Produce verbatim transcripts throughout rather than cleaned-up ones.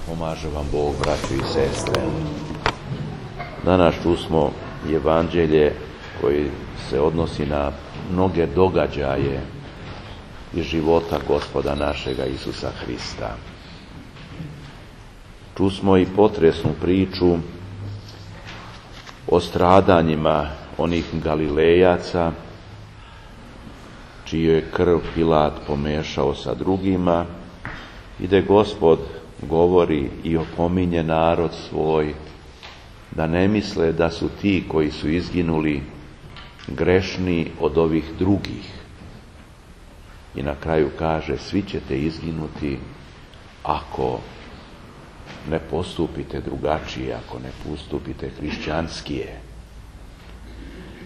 Pomaže vam Bog, braćo i sestre. Danas čusmo evanđelje koji se odnosi na mnoge događaje iz života Gospoda našega Isusa Hrista. Čusmo i potresnu priču o stradanjima onih Galilejaca, čiju je krv Pilat pomešao sa drugima, i da Gospod govori i opominje narod svoj da ne misle da su ti koji su izginuli grešni od ovih drugih. I na kraju kaže, svi ćete izginuti ako ne postupite drugačije, ako ne postupite hrišćanskije.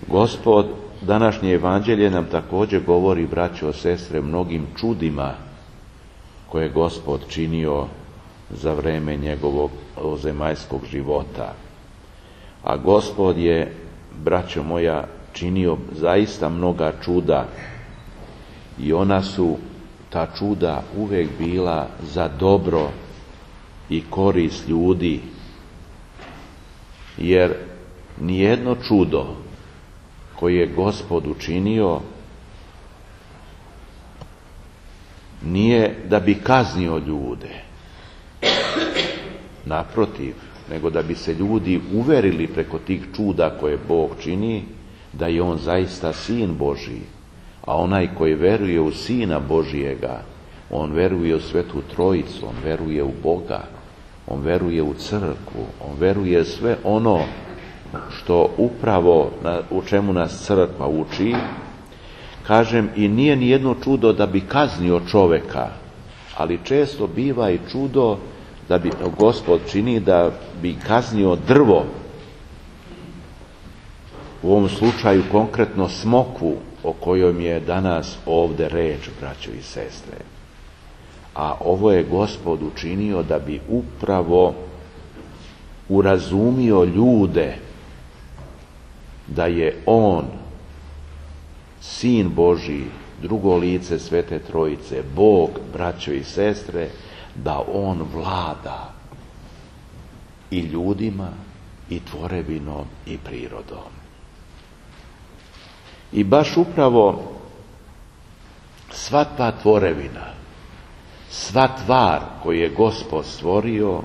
Gospod, današnje evanđelje nam također govori, braćo, sestre, mnogim čudima koje je Gospod činio za vreme njegovog zemaljskog života. A Gospod je, braćo moja, činio zaista mnoga čuda i ona su, ta čuda, uvijek bila za dobro i korist ljudi, jer nijedno čudo koje je Gospod učinio nije da bi kaznio ljude, naprotiv, nego da bi se ljudi uverili preko tih čuda koje Bog čini, da je on zaista Sin Božji. A onaj koji veruje u Sina Božijega, on veruje u Svetu Trojicu, on veruje u Boga, on veruje u crkvu, on veruje sve ono što upravo na, u čemu nas crkva uči. Kažem, i nije ni jedno čudo da bi kaznio čoveka, ali često biva i čudo da bi Gospod čini da bi kaznio drvo, u ovom slučaju konkretno smokvu o kojoj je danas ovdje reč, braćo i sestre. A ovo je Gospod učinio da bi upravo urazumio ljude da je on Sin Božji, drugo lice Svete Trojice, Bog, braćo i sestre, da on vlada i ljudima, i tvorevinom, i prirodom. I baš upravo sva ta tvorevina, sva tvar koju je Gospod stvorio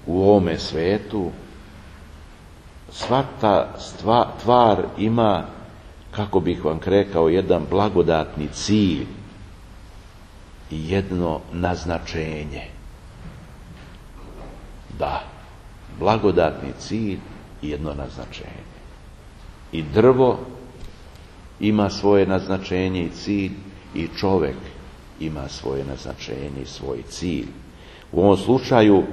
u ovome svetu, sva ta stva, tvar ima, kako bih vam rekao, jedan blagodatni cilj i jedno naznačenje. Da, blagodatni cilj i jedno naznačenje. I drvo ima svoje naznačenje i cilj, i čovjek ima svoje naznačenje i svoj cilj. U ovom slučaju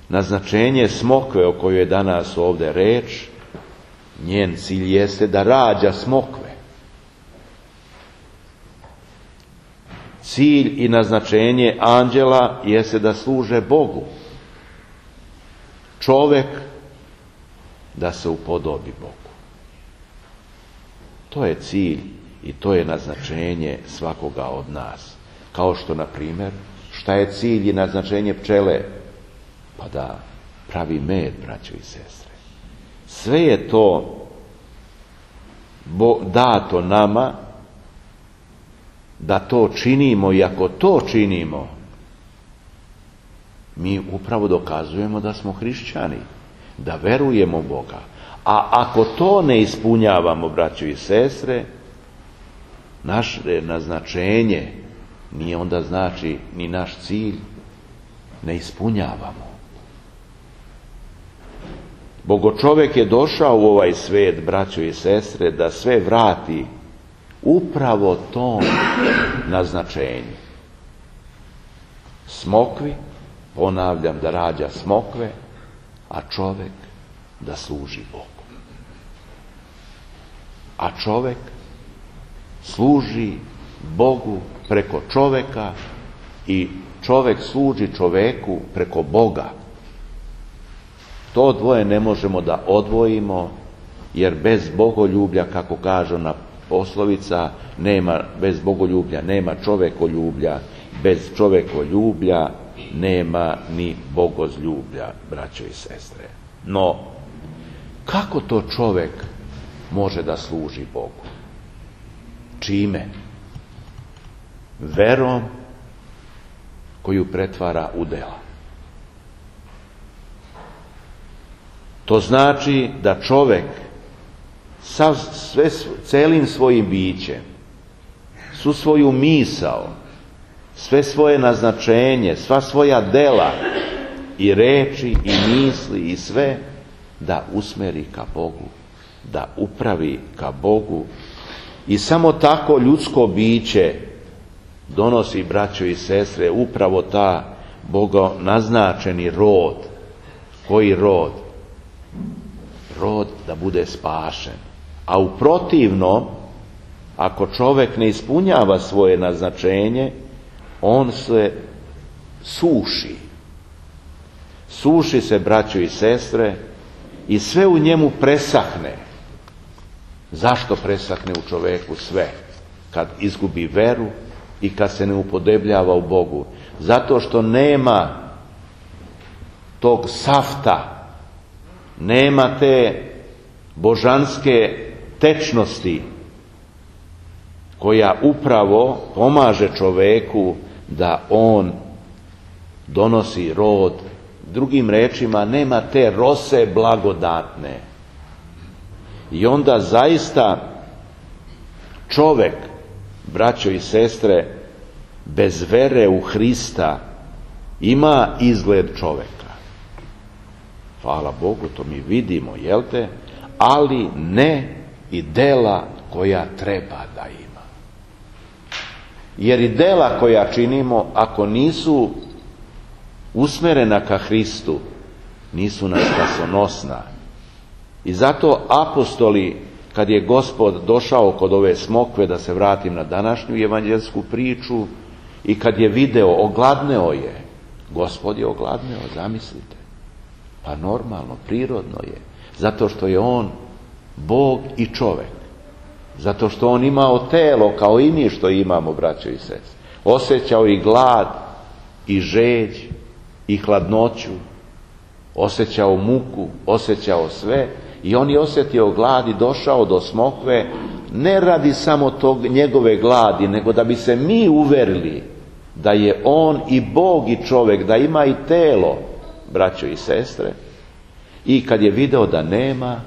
naznačenje smokve o kojoj je danas ovdje reč, njen cilj jeste da rađa smokve. Cilj i naznačenje anđela jeste da služe Bogu. Čovjek da se upodobi Bogu. To je cilj i to je naznačenje svakoga od nas. Kao što, na primjer, šta je cilj i naznačenje pčele? Pa da pravi med, braćo i sestre. Sve je to dato nama da to činimo, i ako to činimo, mi upravo dokazujemo da smo hrišćani, da verujemo Boga. A ako to ne ispunjavamo, braćo i sestre, naše naznačenje nije onda znači ni naš cilj ne ispunjavamo. Bogočovjek je došao u ovaj svijet, braćo i sestre, da sve vrati upravo tom naznačenju. Smokvi, ponavljam, da rađa smokve, a čovjek da služi Bogu. A čovjek služi Bogu preko čovjeka i čovjek služi čovjeku preko Boga. To dvoje ne možemo da odvojimo, jer bez bogoljublja, kako kaže ona poslovica, nema, bez bogoljublja nema čovekoljublja, bez čovekoljublja nema ni bogozljublja, braćo i sestre. No, kako to čovjek može da služi Bogu? Čime? Verom koju pretvara u dela. To znači da čovjek sav, sve, celim svojim bićem, svu svoju misao, sve svoje naznačenje, sva svoja dela i reči i misli i sve da usmeri ka Bogu, da upravi ka Bogu. I samo tako ljudsko biće donosi, braćo i sestre, upravo ta Boga naznačeni rod. Koji rod? Rod da bude spašen. A u protivnom, ako čovjek ne ispunjava svoje naznačenje, on se suši. Suši se, braćo i sestre, i sve u njemu presahne. Zašto presahne u čovjeku sve? Kad izgubi veru i kad se ne upodebljava u Bogu. Zato što nema tog safta, nema te božanske tečnosti koja upravo pomaže čovjeku da on donosi rod. Drugim rečima, nema te rose blagodatne. I onda zaista čovjek, braćo i sestre, bez vere u Hrista ima izgled čovjeka. Hvala Bogu, to mi vidimo, jel te? Ali ne i dela koja treba da ima. Jer i dela koja činimo, ako nisu usmerena ka Hristu, nisu nam spasonosna. I zato apostoli, kad je Gospod došao kod ove smokve, da se vratim na današnju evanđelsku priču, i kad je video, ogladneo je. Gospod je ogladneo, zamislite. Pa normalno, prirodno je. Zato što je on Bog i čovjek. Zato što on imao telo kao i mi što imamo, braćo i sestre. Osjećao i glad, i žeđ, i hladnoću. Osjećao muku, osjećao sve. I on je osjetio glad i došao do smokve, ne radi samo tog njegove gladi, nego da bi se mi uverili da je on i Bog i čovjek, da ima i telo, braćo i sestre. I kad je video da nema,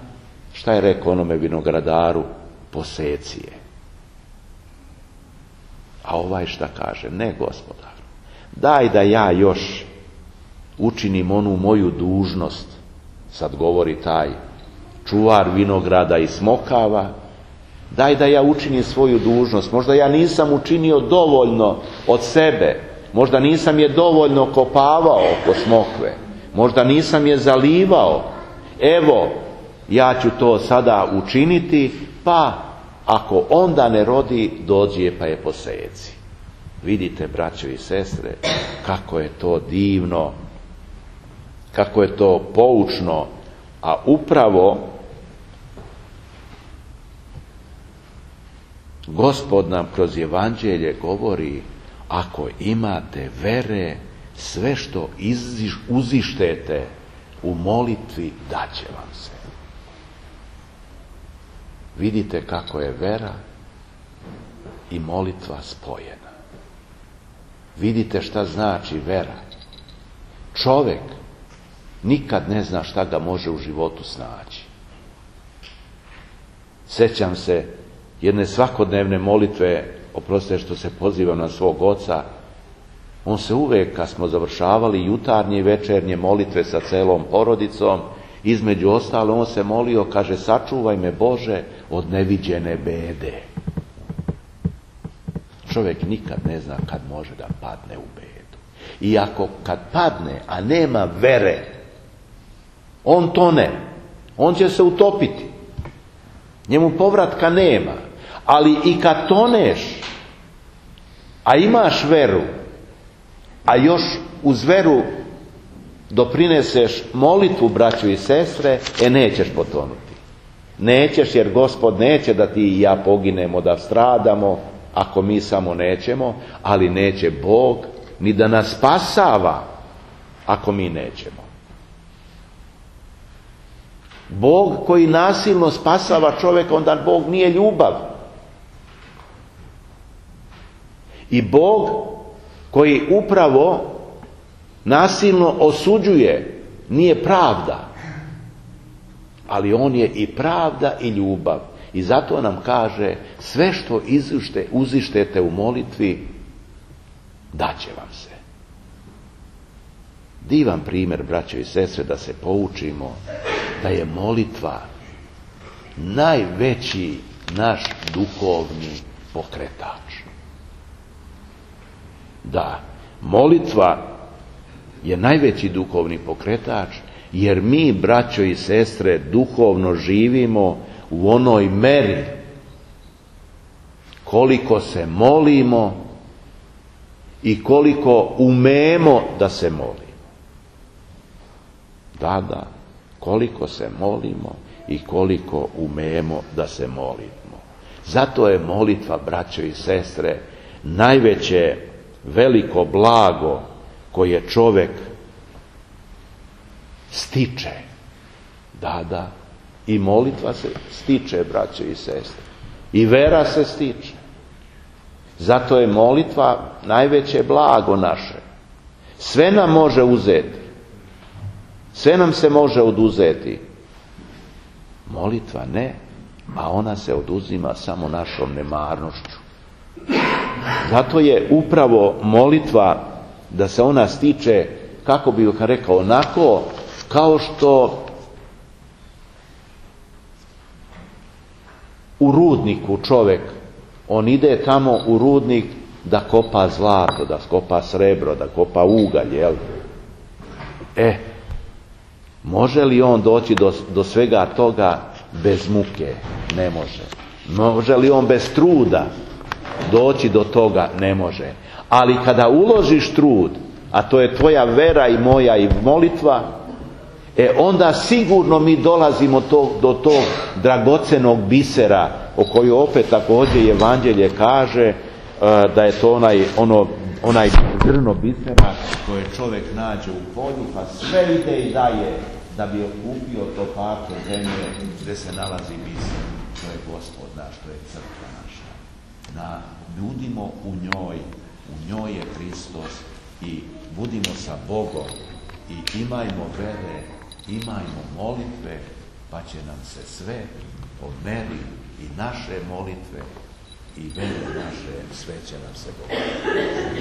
šta je rekao onome vinogradaru? Poseci je. A ovaj šta kaže? Ne, Gospodar, daj da ja još učinim onu moju dužnost. Sad govori taj čuvar vinograda i smokava. Daj da ja učinim svoju dužnost. Možda ja nisam učinio dovoljno od sebe. Možda nisam je dovoljno kopavao oko smokve. Možda nisam je zalivao. Evo, ja ću to sada učiniti, pa ako onda ne rodi, dođi je pa je poseci. Vidite, braćo i sestre, kako je to divno, kako je to poučno, a upravo Gospod nam kroz evanđelje govori, ako imate vere, sve što iziš, uzištete u molitvi, daće vam se. Vidite kako je vera i molitva spojena. Vidite šta znači vera. Čovjek nikad ne zna šta ga može u životu snaći. Sjećam se jedne svakodnevne molitve, oprostite što se pozivam na svog oca, on se uvijek, kad smo završavali jutarnje i večernje molitve sa celom porodicom, između ostalo on se molio, kaže, sačuvaj me Bože od neviđene bede. Čovjek nikad ne zna kad može da padne u bedu. I ako kad padne, a nema vere, on tone, on će se utopiti. Njemu povratka nema. Ali i kad toneš, a imaš veru, a još uz veru doprineseš molitvu, braćo i sestre, e nećeš potonuti. Nećeš, jer Gospod neće da ti i ja poginemo, da stradamo, ako mi samo nećemo, ali neće Bog ni da nas spasava ako mi nećemo. Bog koji nasilno spasava čovjeka, onda Bog nije ljubav. I Bog koji upravo nasilno osuđuje nije pravda, ali on je i pravda i ljubav. I zato nam kaže, sve što izušte, uzištete u molitvi, daće vam se. Divan primjer, braćo i sestre, da se poučimo da je molitva najveći naš duhovni pokretač. Da, molitva je najveći duhovni pokretač, jer mi, braćo i sestre, duhovno živimo u onoj meri koliko se molimo i koliko umemo da se molimo. Da, da, koliko se molimo i koliko umemo da se molimo. Zato je molitva, braćo i sestre, najveće veliko blago koje čovjek stiče. Da, da, i molitva se stiče, braćo i sestre. I vera se stiče. Zato je molitva najveće blago naše. Sve nam može uzeti. Sve nam se može oduzeti. Molitva ne, a ona se oduzima samo našom nemarnošću. Zato je upravo molitva, da se ona stiče, kako bih rekao, onako kao što u rudniku čovjek, on ide tamo u rudnik da kopa zlato, da kopa srebro, da kopa ugalj, jel? E, može li on doći do, do svega toga bez muke? Ne može. Može li on bez truda doći do toga? Ne može. Ali kada uložiš trud, a to je tvoja vera i moja i molitva, e onda sigurno mi dolazimo to, do tog dragocenog bisera, o koju opet također Evanđelje kaže uh, da je to onaj, ono, onaj zrno bisera koje čovjek nađe u polju, pa sve ide i daje da bi okupio to parče zemlje gdje se nalazi biser. To je Gospod naš, to je crkva naša. Da budimo u njoj, u njoj je Hristos i budimo sa Bogom i imajmo vere, imajmo molitve, pa će nam se sve po meri i naše molitve i vere naše, sve će nam se dogoditi.